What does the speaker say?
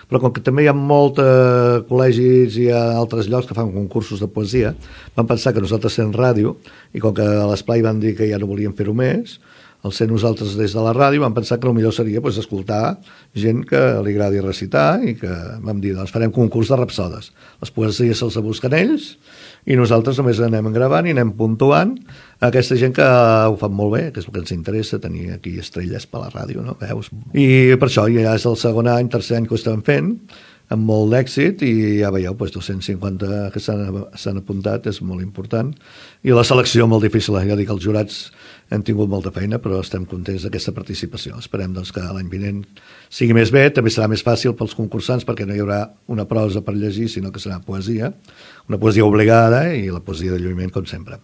però com que també hi ha molts col·legis i altres llocs que fan concursos de poesia, vam pensar que nosaltres sent ràdio, i com que a l'Esplai van dir que ja no volien fer-ho més, al ser nosaltres des de la ràdio vam pensar que el millor seria escoltar gent que li agradi recitar, i que vam dir, doncs farem concurs de rapsodes. Les poesies se'ls busquen ells i nosaltres només anem gravant i anem puntuant a aquesta gent que ho fan molt bé, que és el que ens interessa, tenir aquí estrelles per la ràdio, no? Veus? I per això ja és el segon any, tercer any que ho estem fent, amb molt d'èxit, i ja veieu, 250 que s'han apuntat, és molt important, i la selecció molt difícil, ja dic, els jurats hem tingut molta feina, però estem contents d'aquesta participació. Esperem doncs, que l'any vinent sigui més bé, també serà més fàcil pels concursants, perquè no hi haurà una prosa per llegir, sinó que serà poesia, una poesia obligada, i la poesia de lluïment, com sempre.